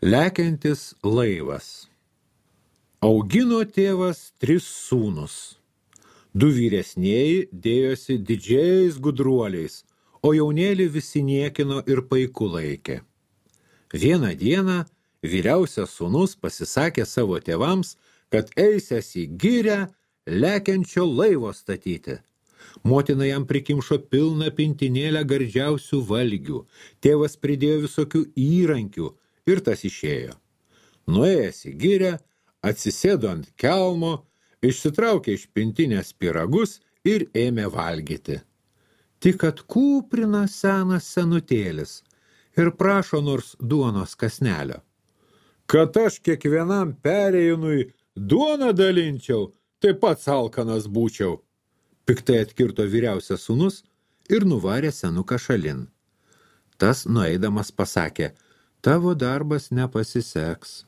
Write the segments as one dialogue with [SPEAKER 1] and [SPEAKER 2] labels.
[SPEAKER 1] Lekiantis laivas. Augino tėvas 3 sūnus. 2 vyresnieji dėjosi didžiais gudruoliais, o jaunėlį visi niekino ir paiku laikė. Vieną dieną vyriausias sūnus pasisakė savo tėvams, kad eisias į girią lekiančio laivo statyti. Motina jam prikimšo pilną pintinėlę gardžiausių valgių, tėvas pridėjo visokių įrankių ir tas išėjo. Nuėjęs į girią, atsisėdo ant kelmo, išsitraukė iš pintinės pyragus ir ėmė valgyti. Tik atkūprina senas senutėlis ir prašo nors duonos kąsnelio. Kad aš kiekvienam perėjūnui duoną dalinčiau, taip pat alkanas būčiau. Piktai atkirto vyriausias sūnus ir nuvarė senuką šalin. Tas nueidamas pasakė, tavo darbas nepasiseks.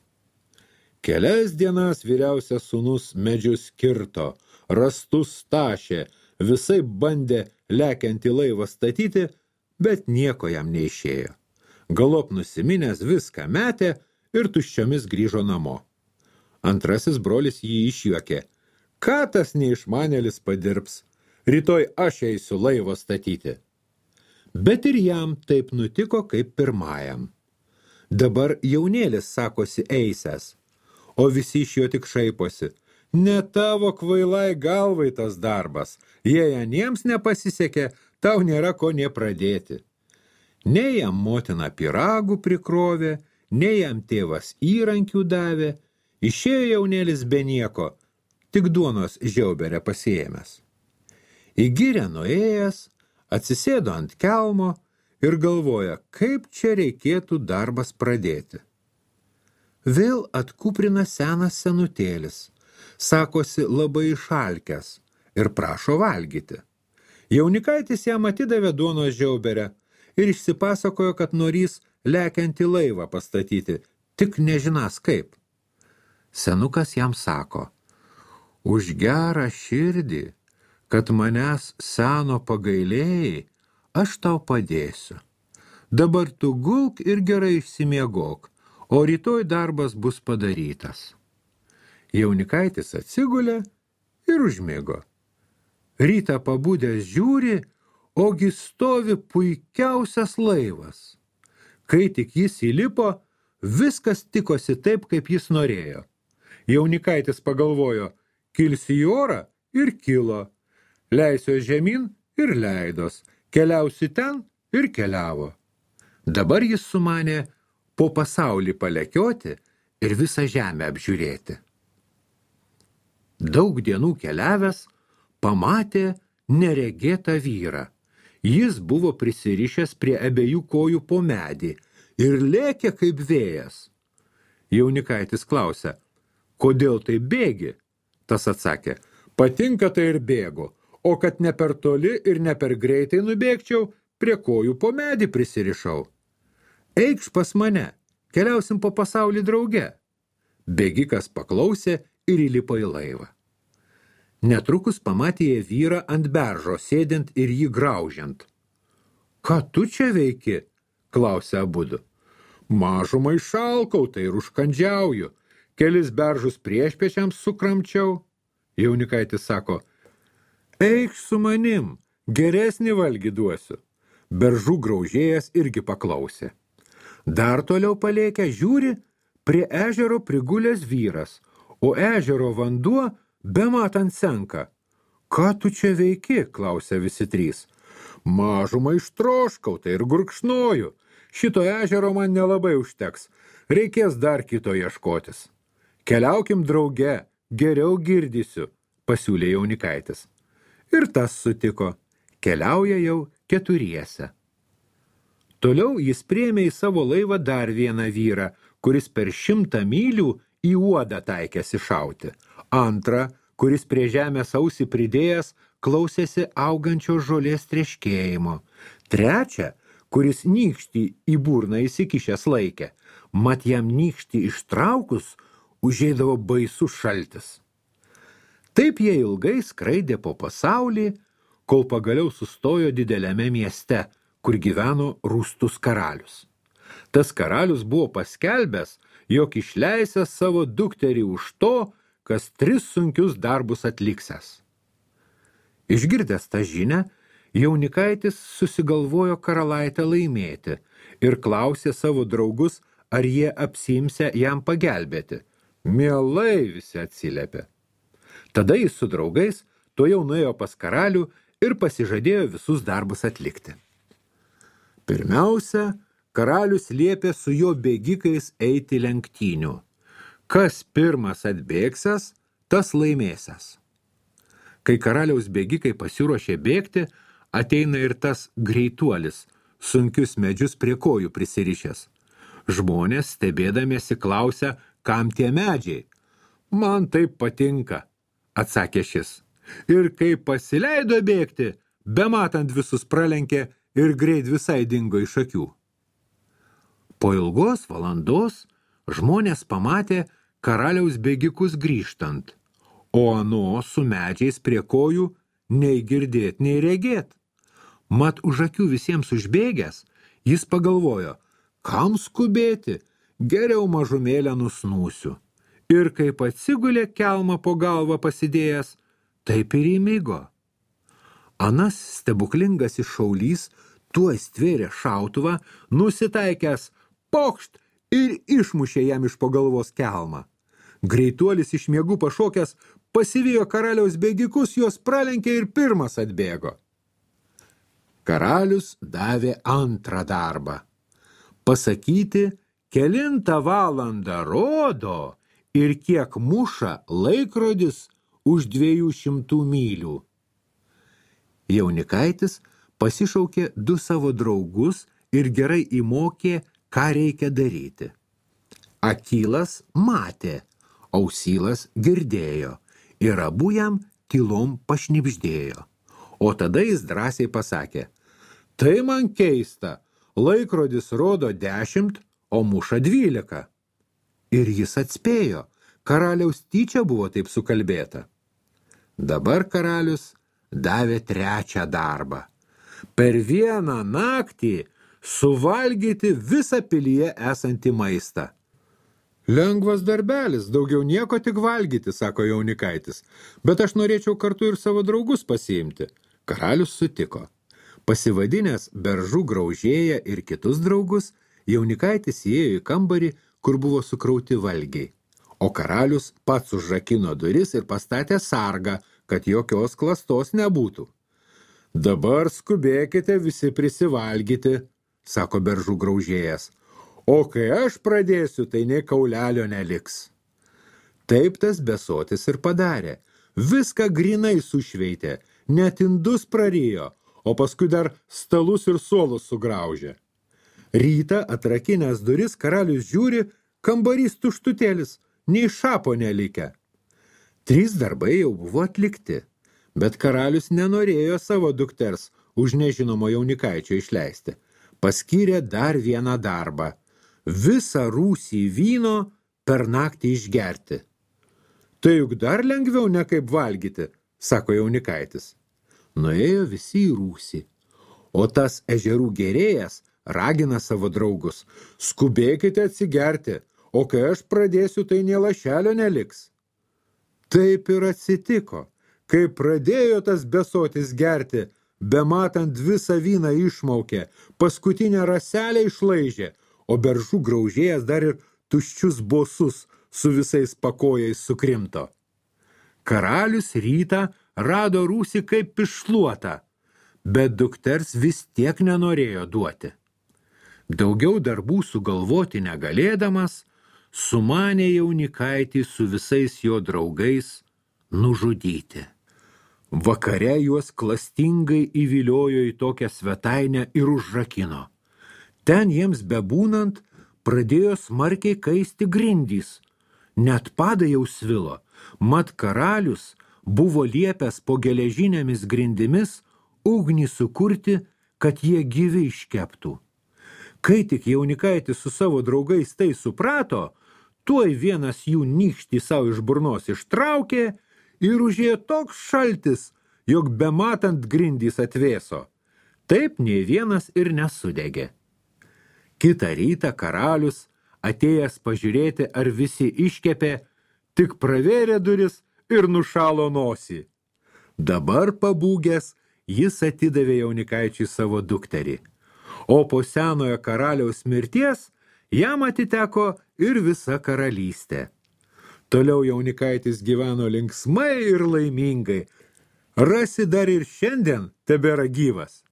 [SPEAKER 1] Kelias dienas vyriausias sūnus medžius kirto, rastus tašė, visai bandė lekiantį laivą statyti, bet nieko jam neišėjo. Galop nusiminęs viską metė ir tuščiomis grįžo namo. Antrasis brolis jį išjuokė. Ką tas neišmanėlis padirbs? Rytoj aš eisiu laivo statyti. Bet ir jam taip nutiko kaip pirmajam. Dabar jaunėlis sakosi eisęs, o visi iš jo tik šaiposi. Ne tavo kvailai galvai tas darbas, jei aniems nepasisekė, tau nėra ko nė pradėti. Nei jam motina pyragų prikrovė, nei jam tėvas įrankių davė, išėjo jaunėlis be nieko, tik duonos žiauberę pasiėmęs. Į girią nuėjęs, atsisėdo ant kelmo ir galvoja, kaip čia reikėtų darbas pradėti. Vėl atkuprina senas senutėlis, sakosi labai išalkęs ir prašo valgyti. Jaunikaitis jam atidavė duonos žiauberę ir išsipasakojo, kad norys lekiantį laivą pastatyti, tik nežinas kaip. Senukas jam sako, už gerą širdį, kad manęs seno pagailėjai, aš tau padėsiu. Dabar tu gulk ir gerai išsimiegok, o rytoj darbas bus padarytas. Jaunikaitis atsigulė ir užmigo. Rytą pabudęs žiūri, ogi stovi puikiausias laivas. Kai tik jis įlipo, viskas tikosi taip, kaip jis norėjo. Jaunikaitis pagalvojo, kilsi į orą ir kilo, leisiuos žemyn ir leidos, keliausi ten ir keliavo. Dabar jis sumanė po pasaulį palekioti ir visą žemę apžiūrėti. Daug dienų keliavęs, pamatė neregėtą vyrą. Jis buvo prisirišęs prie abiejų kojų po medį ir lėkė kaip vėjas. Jaunikaitis klausė, kodėl tai bėgi? Tas atsakė, patinka tai ir bėgu, o kad ne per toli ir ne per greitai nubėgčiau, prie kojų po medį prisirišau. Eikš pas mane, keliausim po pasaulį drauge. Bėgikas paklausė ir įlipo į laivą. Netrukus pamatė jie vyrą ant beržo, sėdint ir jį graužiant. Ką tu čia veiki? Klausė abudu. Mažumai šalkau, tai ir užkandžiauju. Kelis beržus priešpečiams sukramčiau. Jaunikaitis sako, eikš su manim, geresnį valgį duosiu. Beržų graužėjas irgi paklausė. Dar toliau palėkę žiūri, prie ežero prigulęs vyras, o ežero vanduo bematant senka. Ką tu čia veiki? Klausė visi 3. Mažumą ištroškau, tai ir gurkšnoju. Šito ežero man nelabai užteks. Reikės dar kito ieškotis. Keliaukim drauge, geriau girdysiu, pasiūlė Jaunikaitis. Ir tas sutiko. Keliauja jau 4. Toliau jis priėmė į savo laivą dar vieną vyrą, kuris per 100 mylių į uodą taikėsi šauti. Antrą, kuris prie žemės ausį pridėjęs, klausėsi augančios žolės treškėjimo. Trečią, kuris nykštį į burną įsikišęs laikė, mat jam nykštį ištraukus, užeidavo baisus šaltis. Taip jie ilgai skraidė po pasaulį, kol pagaliau sustojo dideliame mieste, kur gyveno rūstus karalius. Tas karalius buvo paskelbęs, jog išleisęs savo dukterį už to, kas 3 sunkius darbus atliksęs. Išgirdęs tą žinią, jaunikaitis susigalvojo karalaitę laimėti ir klausė savo draugus, ar jie apsiimsia jam pagelbėti. Mielai visi atsiliepė. Tada jis su draugais tuojau nuėjo pas karalių ir pasižadėjo visus darbus atlikti. Pirmiausia, karalius liepė su jo bėgikais eiti lenktynių. Kas pirmas atbėgsęs, tas laimėsęs. Kai karaliaus bėgikai pasiruošė bėgti, ateina ir tas greituolis, sunkius medžius prie kojų prisirišęs. Žmonės stebėdamiesi klausia, kam tie medžiai. Man taip patinka, atsakė šis. Ir kai pasileido bėgti, bematant visus pralenkė ir greit visai dingo iš akių. Po ilgos valandos žmonės pamatė karaliaus bėgikus grįžtant, o ano su medžiais prie kojų nei girdėt, nei regėt. Mat už akių visiems užbėgęs, jis pagalvojo, kam skubėti, geriau mažumėlę nusnūsiu. Ir kaip atsigulė kelmą po galvą pasidėjęs, taip ir įmigo. Anas stebuklingas šaulys tuoj stvėrė šautuvą, nusitaikęs pokšt ir išmušė jam iš po galvos kelmą. Greituolis iš miegų pašokęs pasivijo karaliaus bėgikus, juos pralenkė ir pirmas atbėgo. Karalius davė antrą darbą. Pasakyti, kelintą valandą rodo ir kiek muša laikrodis už 200 mylių. Jaunikaitis pasišaukė 2 savo draugus ir gerai įmokė, ką reikia daryti. Akylas matė, Ausylas girdėjo ir abu jam tylom pašnibždėjo. O tada jis drąsiai pasakė, tai man keista, laikrodis rodo 10, o muša 12. Ir jis atspėjo, karaliaus tyčia buvo taip sukalbėta. Dabar karalius davė 3 darbą. Per vieną naktį suvalgyti visą pilyje esantį maistą. Lengvas darbelis, daugiau nieko tik valgyti, sako jaunikaitis, bet aš norėčiau kartu ir savo draugus pasiimti. Karalius sutiko. Pasivadinęs beržų graužėją ir kitus draugus, jaunikaitis įėjo į kambarį, kur buvo sukrauti valgiai. O karalius pats užrakino duris ir pastatė sargą, kad jokios klastos nebūtų. Dabar skubėkite visi prisivalgyti, sako beržų graužėjas. O kai aš pradėsiu, tai nei kaulelio neliks. Taip tas besotis ir padarė. Viską grinai sušveitė, net indus prarijo, o paskui dar stalus ir suolus sugraužė. Rytą atrakinęs duris karalius žiūri, kambarys tuštutėlis, nei šapo nelikę. 3 darbai jau buvo atlikti, bet karalius nenorėjo savo dukters už nežinomo jaunikaičio išleisti. Paskyrė dar vieną darbą. Visą rūsį vyno per naktį išgerti. Tai juk dar lengviau ne kaip valgyti, sako jaunikaitis. Nuėjo visi į rūsį, o tas ežerų gėrėjas ragina savo draugus. Skubėkite atsigerti, o kai aš pradėsiu, tai nė lašelio neliks. Taip ir atsitiko, kai pradėjo tas besotis gerti, bematant visą vyną išmaukė, paskutinę raselę išlaižė, o beržų graužėjas dar ir tuščius bosus su visais pakojais sukrimto. Karalius rytą rado rūsį kaip iššluotą, bet dukters vis tiek nenorėjo duoti. Daugiau darbų sugalvoti negalėdamas, sumanė jaunikaitį su visais jo draugais nužudyti. Vakare juos klastingai įviliojo į tokią svetainę ir užrakino. Ten jiems bebūnant pradėjo smarkiai kaisti grindys. Net padai jau svilo, mat karalius buvo liepęs po geležinėmis grindimis ugnį sukurti, kad jie gyvi iškeptų. Kai tik jaunikaitis su savo draugais tai suprato, tuoj vienas jų nykštį savo iš burnos ištraukė ir užėjo toks šaltis, jog bematant grindys atvėso. Taip nei vienas ir nesudegė. Kitą rytą karalius, atėjęs pažiūrėti, ar visi iškepė, tik pravėrė duris ir nušalo nosį. Dabar pabūgęs, jis atidavė jaunikaičiui savo dukterį, o po senojo karaliaus mirties jam atiteko ir visa karalystė. Toliau jaunikaitis gyveno linksmai ir laimingai. Rasi dar ir šiandien tebėra gyvas.